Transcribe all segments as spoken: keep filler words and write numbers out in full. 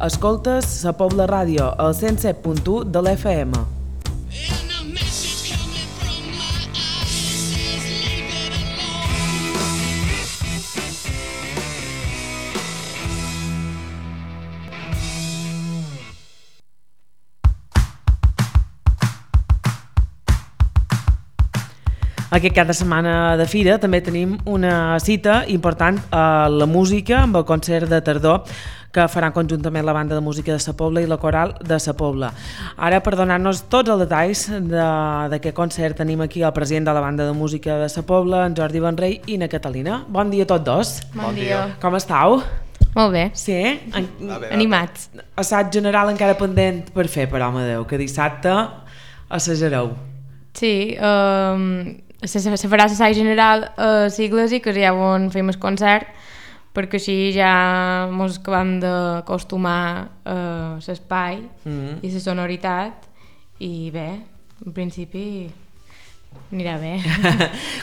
Escoltes Sa Pobla Ràdio, al cent set punt u de l'F M. Aquest cap de setmana de fira també tenim una cita important a la música amb el concert de tardor que faran conjuntament la banda de música de Sa Pobla i la coral de Sa Pobla. Ara, per donar-nos tots els detalls d'aquest concert, tenim aquí el president de la banda de música de Sa Pobla, en Jordi Benrey i na Catalina. Bon dia a tots dos. Bon dia. Com estàu? Molt bé. Sí? En... Animats. Assaig general encara pendent per fer, per home Déu, que dissabte assajareu. Sí, um... se, se farà l'assaig general a l'Iglésia, que és ja on fem el concert, perquè així ja ens acabem d'acostumar a l'espai mm-hmm. i la sonoritat, i bé, en principi anirà bé.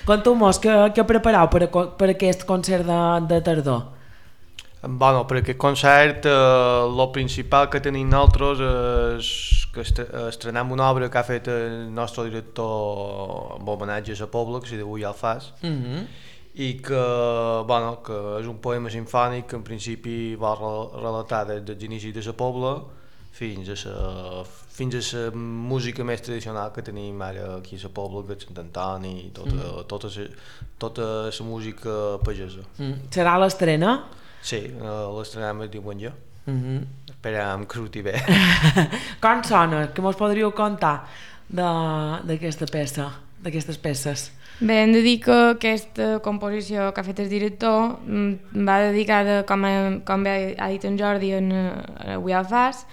Conteu-mos, què, què prepareu per, a, per aquest concert de, de tardor? Bueno, per aquest concert el eh, principal que tenim nosaltres és que estrenem una obra que ha fet el nostre director amb homenatge a Sa Pobla, que s'hi diu Ja el fas, mm-hmm. i que, bueno, que és un poema sinfònic que en principi va relatar des dels inicis de Sa Pobla fins a la, fins a la música més tradicional que tenim ara aquí a Sa Pobla, que és Sant Antoni i tota, mm. tota, la, tota la música pagesa. Mm. Serà l'estrena? Sí, l'estrenem el diumenge. Mm-hmm. Esperem que surti bé. Com sona? Què mos podríeu contar d'aquesta peça, d'aquestes peces? Bé, hem de dir que aquesta composició que ha fet el director va dedicada, com, a, com bé ha dit en Jordi, en Avui el fas,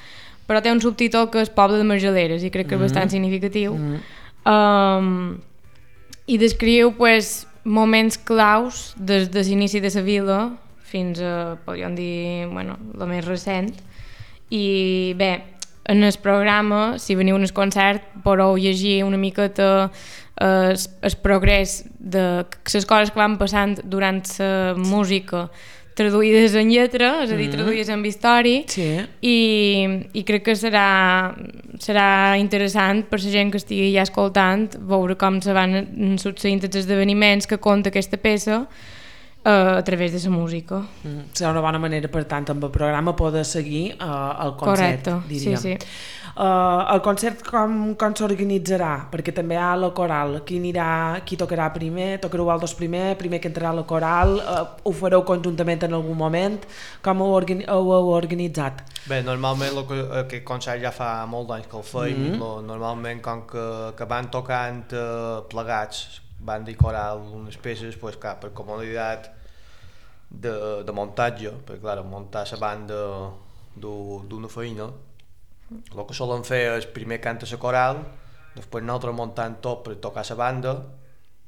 però té un subtítol que és Poble de Marjaleres i crec que és mm-hmm. bastant significatiu. Mm-hmm. Um, I descriu pues, moments claus des de l'inici de la vila fins a, podríem dir, bueno, la més recent. I bé, en el programa, si veniu al concert, podeu llegir una miqueta el, el progrés de les coses que van passant durant la música traduïdes en lletra, és a dir, traduïdes en història, sí. i, i crec que serà, serà interessant per la gent que estigui ja escoltant veure com se van succeint els esdeveniments que conta aquesta peça a través de la música. Mm. Serà una bona manera, per tant, amb el programa poder seguir uh, el concert, correcte, diríem. Sí, sí. Uh, el concert com, com s'organitzarà? Perquè també hi ha la coral. Qui anirà, qui tocarà primer? Tocareu vosaltres primer? Primer que entrarà la coral? Uh, ho fareu conjuntament en algun moment? Com ho, organi ho heu organitzat? Bé, normalment lo que, aquest concert ja fa molt d'anys que el feim. Mm-hmm. lo, normalment, com que, que van tocant uh, plegats, banda i coral, unes peces, pues, clar, per comoditat de, de muntatge, perquè clar, muntar la banda d'una feina, el que solen fer és primer canta la coral, després nosaltres muntant tot per tocar la banda,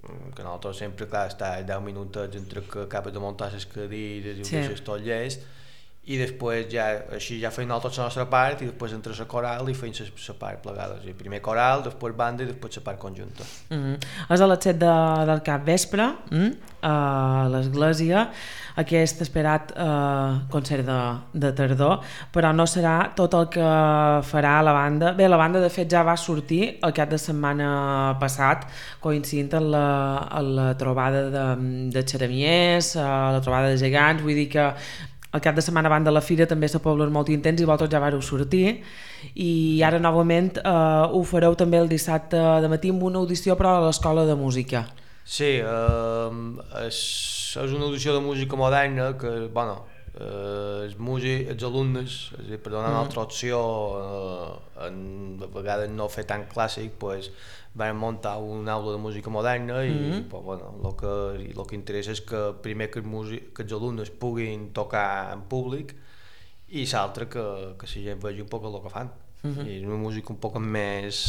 que nosaltres sempre, clar, està deu minutets entre que acabes de muntar les cadires i ho deixes tot llest, i després ja, així ja feim nosaltres la nostra part i després entra la coral i feim la part plegada, o sigui, primer coral, després banda i després la part conjunta. Mm-hmm. És a les set de, del cap vespre, mm? a l'església, aquest esperat eh, concert de, de tardor, però no serà tot el que farà la banda. Bé, la banda de fet ja va sortir el cap de setmana passat, coincidint amb la, amb la trobada de, de xeramiers, la trobada de gegants, vull dir que el cap de setmana abans de la fira també Sa Pobla és molt intens i vosaltres ja vareu sortir i ara novament eh, ho fareu també el dissabte de matí amb una audició però a l'Escola de Música. Sí, eh, és, és una audició de música moderna que, bueno, eh, els, músics, els alumnes, és a dir, per donar una altra opció, eh, en, a vegades no fer tan clàssic, pues, vam muntar una aula de música moderna i mm-hmm. pues, bueno, el que, el que interessa és que primer que, músic, que els alumnes puguin tocar en públic i l'altre que, que la gent vegi un poc el que fan. Mm-hmm. I és una música un poc més,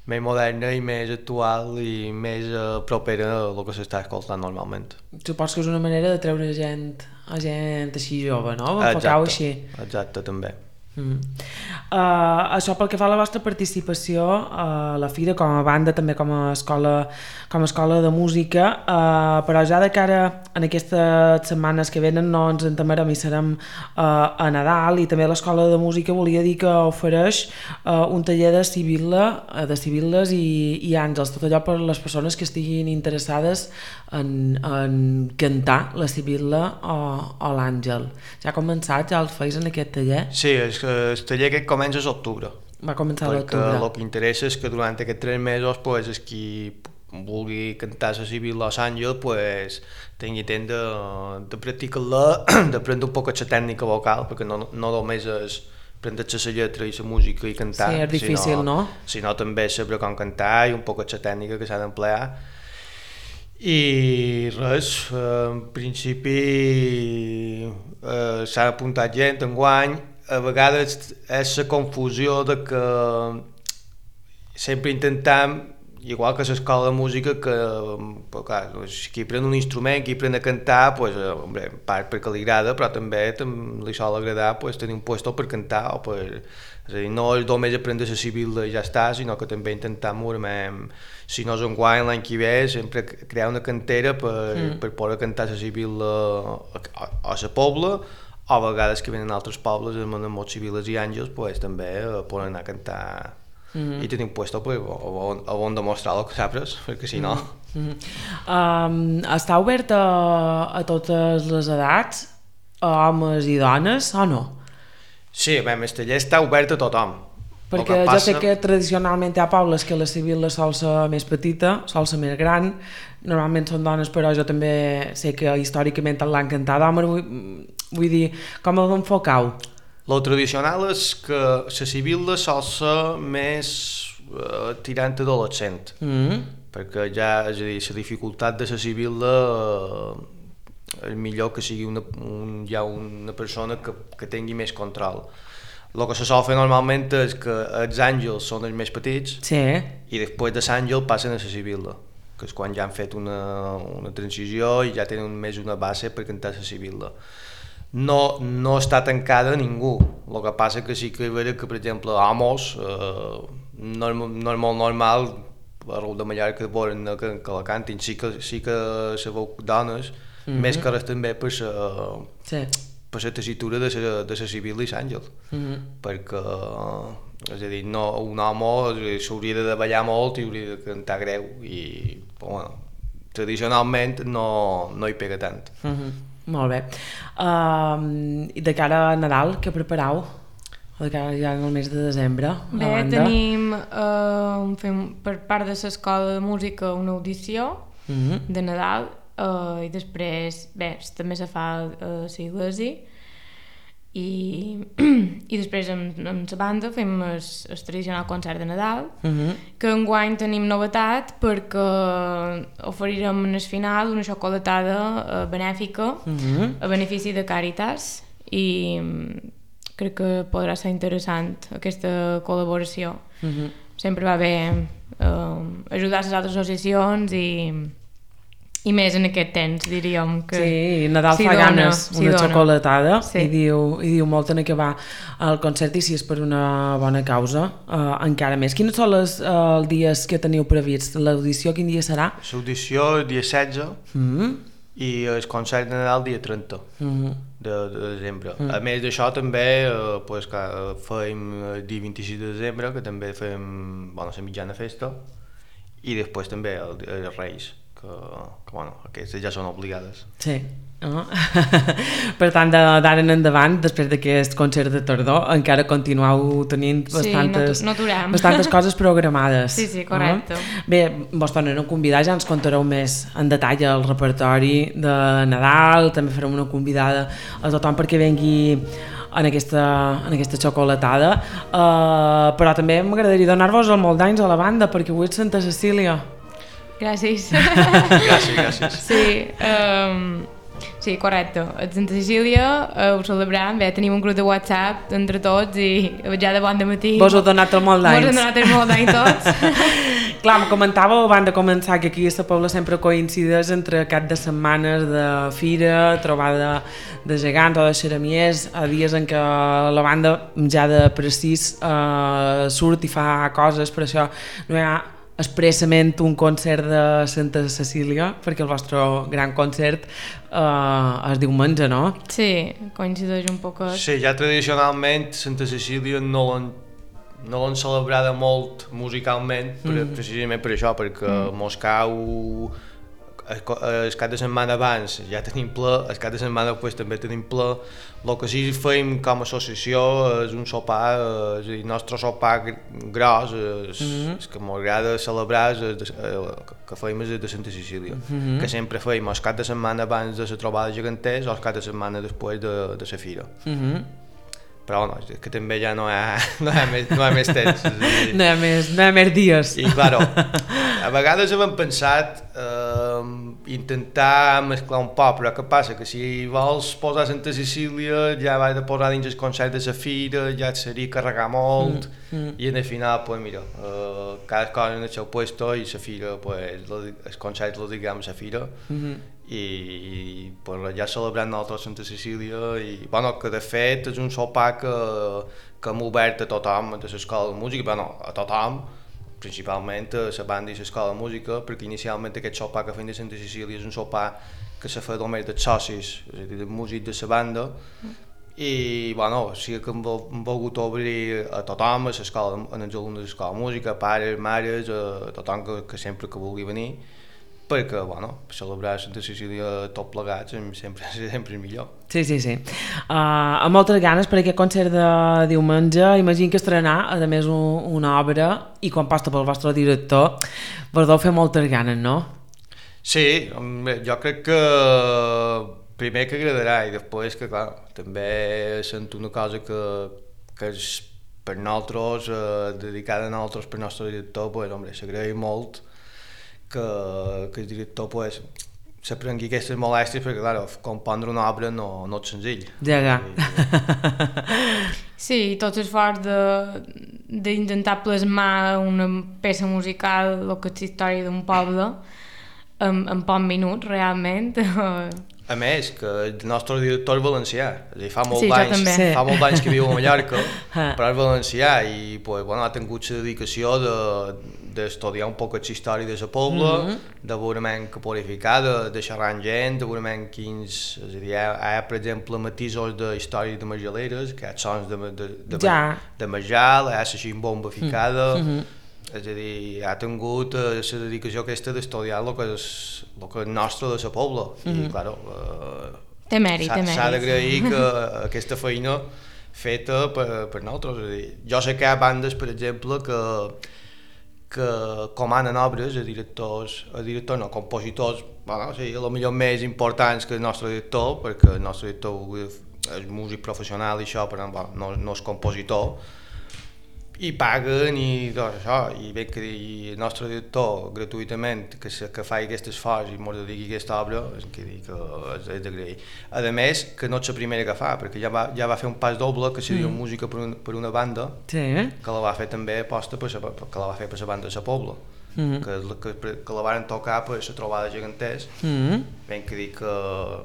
més moderna i més actual i més uh, propera a el que s'està escoltant normalment. Suposo que és una manera de treure gent, a gent així jove, no? Enfocau així. Exacte, també. Mm. Uh, això pel que fa a la vostra participació a la Fira, com a banda, també com a escola, com a escola de música, uh, però ja de cara en aquestes setmanes que venen no ens entamarem i serem uh, a Nadal, i també l'escola de música volia dir que ofereix uh, un taller de sibil·la, de sibil·les i, i àngels, tot allò per les persones que estiguin interessades en, en cantar la sibil·la o, o l'àngel. Ja ha començat, ja el feis en aquest taller? Sí, el, el taller que comença és octubre. Va començar a l'octubre. Perquè el que interessa és que durant aquests tres mesos pues, és qui vulgui cantar la sibil·la o l'àngel pues, tingui temps de, de practicar-la, d'aprendre un poc la tècnica vocal, perquè no, no només és prendre la lletra i la música i cantar, sí, és difícil, sinó, no? sinó també saber com cantar i un poc la tècnica que s'ha d'emplear. I res, en principi eh, s'ha apuntat gent enguany. A vegades és la confusió de que sempre intentem, igual que a l'escola de música, que pues, clar, qui pren un instrument, qui pren a cantar, pues, eh, hombre, part perquè li agrada, però també li sol agradar pues, tenir un puesto per cantar, o per, és a dir, no és només aprendre la sibil·la i ja està, sinó que també intentem, si no és enguany, l'any que ve, sempre crear una cantera per, mm. per poder cantar la sibil·la a, a, a la pobla, o a vegades que venen altres pobles amb molts sibil·les i àngels pues, també eh, poden anar a cantar mm-hmm. i tenir un puesto pues, on, on demostrar el que saps, perquè si no... Mm-hmm. um, està obert a, a totes les edats, a homes i dones, o no? Sí, bé, el taller està obert a tothom. Perquè jo passa... sé que tradicionalment hi ha pobles que la sibil·la sol ser més petita, sol ser més gran, normalment són dones, però jo també sé que històricament l'han cantat d'homes, vull, vull dir, com ho enfocau? Lo tradicional és que la sibil·la sol ser més eh, tirant adolescent, mm-hmm. perquè ja, és a dir, la dificultat de la sibil·la eh, és millor que sigui una, un, ja una persona que, que tingui més control. El que se sol fer normalment és que els àngels són els més petits sí. i després de l'àngel passen a la sibil·la, que és quan ja han fet una, una transició i ja tenen més una base per cantar la sibil·la. No, no està tancada a ningú, el que passa que sí que veure que, per exemple, homes, eh, no, no és molt normal, a Raül de Mallorca que, que la cantin, sí que, sí que se veu dones, mm-hmm. més que res també per la... Sí. per la tessitura de la, de la sibil·la i l'àngel, mm-hmm. perquè és a dir, no, un home s'hauria de ballar molt i hauria de cantar greu i bueno, tradicionalment no, no hi pega tant. Mm-hmm. Molt bé. Uh, I de cara a Nadal, què prepareu? O de cara ja en el mes de desembre? Bé, tenim uh, fem, per part de l'escola de música una audició mm-hmm. de Nadal. Uh, i després, bé, també se fa a uh, l'església i, i després amb, amb la banda fem el, el tradicional concert de Nadal uh-huh. que enguany tenim novetat perquè oferirem en el final una xocolatada uh, benèfica uh-huh. a benefici de Càritas i crec que podrà ser interessant aquesta col·laboració. Uh-huh. Sempre va bé uh, ajudar les altres associacions i i més en aquest temps, diríem que... Sí, Nadal si fa dona, ganes si una dona. xocolatada sí. i, diu, i diu molt en acabar el concert i si és per una bona causa, uh, encara més. Quins són els uh, dies que teniu previst? L'audició quin dia serà? L'audició el dia setze mm-hmm. i el concert de Nadal dia trenta mm-hmm. de, de desembre. Mm-hmm. A més d'això també uh, pues, que, uh, fem el dia vint-i-sis de desembre, que també fem bueno, la mitjana festa, i després també el, el Reis. Que, que bueno, aquestes ja són obligades. Sí. Oh. Per tant, d'ara en endavant, després d'aquest concert de tardor, encara continueu tenint bastantes, sí, no, no bastantes coses programades. Sí, sí, correcte. Oh. Bé, vos tornem a convidar, ja ens contareu més en detall el repertori de Nadal, també farem una convidada a tothom perquè vengui en aquesta, en aquesta xocolatada, uh, però també m'agradaria donar-vos el molt d'anys a la banda perquè avui és Santa Cecília. Gràcies. gràcies, gràcies. Sí, um, sí, correcte. A Santa Cecília uh, ho celebrem, bé, tenim un grup de WhatsApp entre tots i ja de bon de matí... Vos heu donat el molt d'anys. Vos heu donat el molt d'anys tots. Clar, me comentàveu abans de començar que aquí a la Pobla sempre coincideix entre cap de setmanes de fira, trobada de gegants o de xeramiers, a dies en què la banda ja de precís eh, surt i fa coses, per això no hi ha expressament un concert de Santa Cecília, perquè el vostre gran concert eh, es diumenge, no? Sí, coincideix un poc. Sí, ja tradicionalment Santa Cecília no l'han no l'han celebrada molt musicalment, per, mm. precisament per això, perquè mm. Moscou el, el cap de setmana abans ja tenim ple, el cap de setmana després també tenim ple. El que sí fem com a associació és un sopar, és el nostre sopar gros, és, mm. és que m'agrada celebrar, és de, que fem és de Santa Cecília, mm -hmm. que sempre fem el cap de setmana abans de la trobada geganters o el cap de setmana després de, de la fira. Mm -hmm. Però no, que també ja no hi ha, no hi ha, més, no hi ha més temps. No hi ha més, no hi ha més dies. I, claro, a vegades hem pensat eh, intentar mesclar un poc, però què passa? Que si vols posar Santa Cecília ja vas de posar dins el concert de la fira, ja et seria carregar molt, mm, mm. i en el final, pues mira, eh, cada cosa en el seu puesto i la fira, pues, el concert lo diguem a la fira, mm -hmm. i pues, ja celebrant nosaltres Santa Cecília i bueno, que de fet és un sopar que, que hem obert a tothom de l'escola de música, bueno, a tothom, principalment a la banda i l'escola de música, perquè inicialment aquest sopar que fem de Santa Cecília és un sopar que se fa només dels socis, és a dir, dels músics de la banda, i bueno, sí que hem volgut obrir a tothom, a l'escola, als alumnes de l'escola de música, pares, mares, a tothom que, que sempre que vulgui venir, perquè, bueno, celebrar Santa Cecília tot plegats sempre, sempre és millor. Sí, sí, sí. Uh, amb moltes ganes per aquest concert de diumenge. Imagino que estrenar, a més, un, una obra, i quan passa pel vostre director, vos deu fer moltes ganes, no? Sí, jo crec que primer que agradarà i després que, clar, també sento una cosa que, que és per nosaltres, eh, dedicada a nosaltres, per nostre director, pues, home, s'agraï molt que, que el director pues, se prengui aquestes molèsties perquè, clar, compondre una obra no, no és senzill. Ja, ja. Sí, tot l'esforç d'intentar plasmar una peça musical, el que és la història d'un poble, en, en pocs minuts, realment. A més, que el nostre director és valencià, és a dir, fa molt sí, d'anys sí. fa molt d'anys que viu a Mallorca, però és valencià i pues, bueno, ha tingut la dedicació d'estudiar de, un poc la història de la pobla, mm -hmm. de veurement que purificar, de, de xerrar amb gent, de veurement quins... És a dir, hi ha, hi ha per exemple, matisos de història de Marjaleres, que hi ha sons de, de, de, ja. de Marjal, hi ha la ximbomba ficada, mm -hmm. és a dir, ha tingut la uh, dedicació aquesta d'estudiar el que és el que és nostre de la pobla, mm -hmm. i, clar, uh, té mèrit, té mèrit. S'ha d'agrair que aquesta feina feta per, per nosaltres, és a dir, jo sé que hi ha bandes, per exemple, que que comanen obres a directors, a directors no, compositors, bueno, sí, a lo millor més importants que el nostre director, perquè el nostre director és músic professional i això, però bueno, no, no és compositor, i paguen i tot això, i bé que i el nostre director gratuïtament que, se, que fa aquest esforç i ens dediqui aquesta obra, és que, que és, és d'agrair. A més, que no és la primera que fa, perquè ja va, ja va fer un pas doble, que seria mm. música per, un, per una banda, sí, eh? que la va fer també aposta per, que la va fer per la banda de la Pobla. Mm -hmm. que, que, que la van tocar per la trobada geganters, mm -hmm. ben que dir que,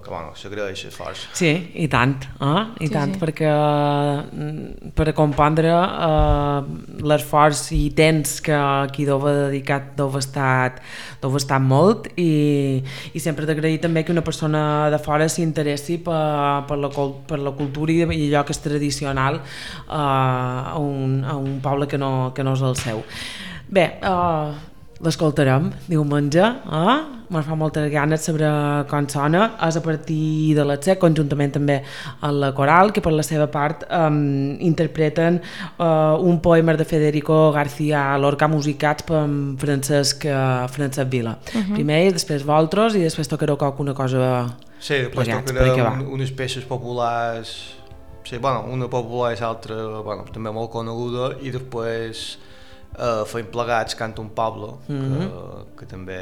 que bueno, s'agraeix l'esforç. Sí, i tant, eh? I sí, tant, sí. perquè per a compondre eh, l'esforç i temps que aquí deu haver dedicat deu haver estat, deu haver estat molt, i, i sempre d'agrair també que una persona de fora s'interessi per, per, la, per la cultura i allò que és tradicional eh, a, un, a un poble que no, que no és el seu. Bé, eh, l'escoltarem diumenge, eh? Me'n fa moltes ganes saber com sona. És a partir de les set, conjuntament també amb la coral, que per la seva part um, interpreten uh, un poema de Federico García Lorca musicats per Francesc, uh, Francesc Vila. Uh -huh. Primer ells, després vosaltres i després tocareu alguna cosa. Sí, després tocarem un, unes peces populars, sí, bueno, una popular i l'altra bueno, també molt coneguda, i després Uh, fem plegats Canta un poble, mm -hmm. que, que també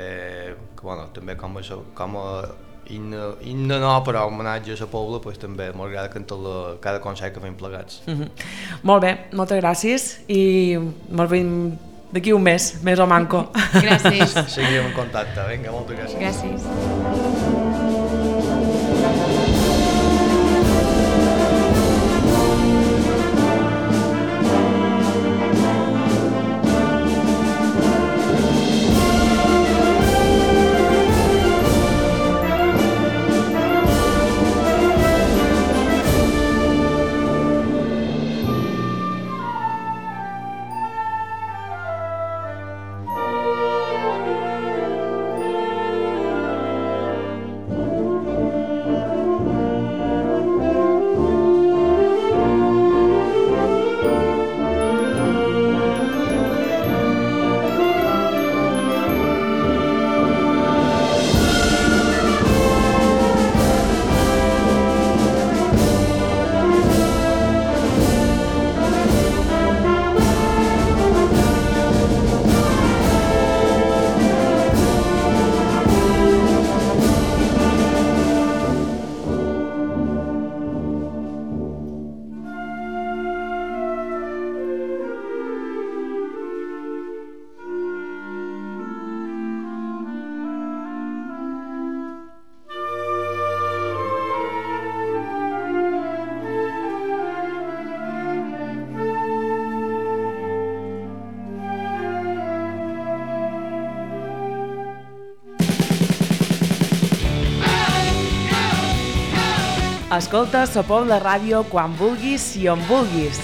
que, bueno, també com a, com a himne, himne no, però homenatge a la pobla, pues, també m'agrada cantar la, cada concert que fem plegats. Mm -hmm. Molt bé, moltes gràcies i molt ben d'aquí un mes, més o manco. Gràcies. Seguirem en contacte. Vinga, moltes gràcies. Gràcies. Escolta Sa Pobla Ràdio quan vulguis i on vulguis.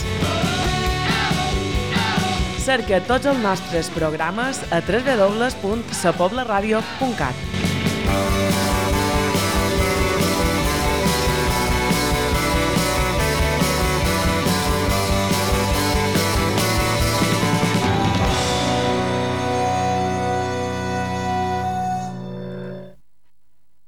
Cerca tots els nostres programes a w w w punt sa pobla ràdio punt cat.